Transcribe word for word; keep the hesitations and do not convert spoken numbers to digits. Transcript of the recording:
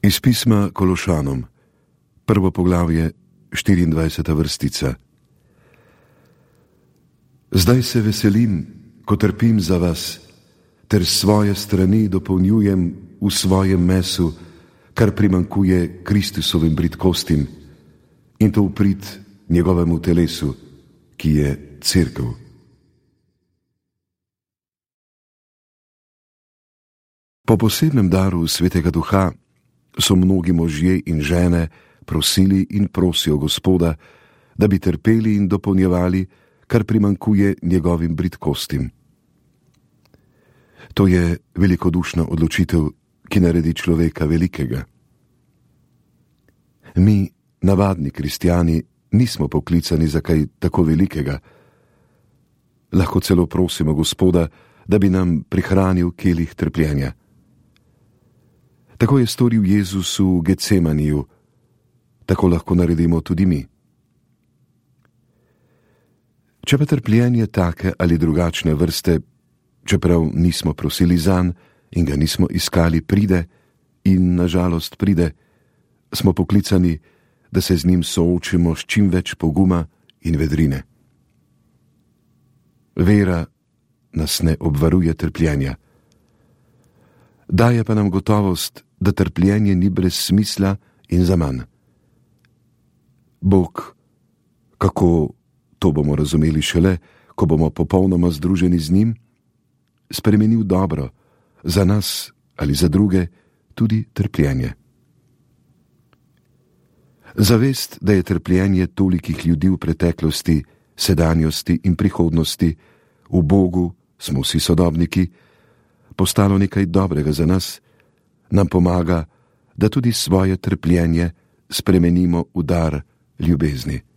Iz pisma Kološanom, prvo poglavje, štiriindvajseta vrstica. Zdaj se veselim, ko trpim za vas, ter s svoje strani dopolnjujem v svojem mesu, kar primankuje Kristusovim bridkostim, in to v prid njegovemu telesu, ki je cerkev. Po posebnem daru Svetega Duha so mnogi možje in žene prosili in prosijo Gospoda, da bi trpeli in dopolnjevali, kar primankuje njegovim bridkostim. To je velikodušna odločitev, ki naredi človeka velikega. Mi, navadni kristjani, nismo poklicani za kaj tako velikega. Lahko celo prosimo Gospoda, da bi nam prihranil kelih trpljenja. Tako je storil Jezus v Getsemaniju, tako lahko naredimo tudi mi. Če pa trpljenje take ali drugačne vrste, čeprav nismo prosili zanj in ga nismo iskali, pride, in nažalost pride, smo poklicani, da se z njim soočimo s čim več poguma in vedrine. Vera nas ne obvaruje trpljenja. Daje pa nam gotovost, da trpljenje ni brez smisla in zaman. Bog, kako to bomo razumeli šele, ko bomo popolnoma združeni z njim, spremenil dobro, za nas ali za druge, tudi trpljenje. Zavest, da je trpljenje tolikih ljudi v preteklosti, sedanjosti in prihodnosti, v Bogu smo vsi sodobniki, postalo nekaj dobrega za nas, nam pomaga, da tudi svoje trpljenje spremenimo v dar ljubezni.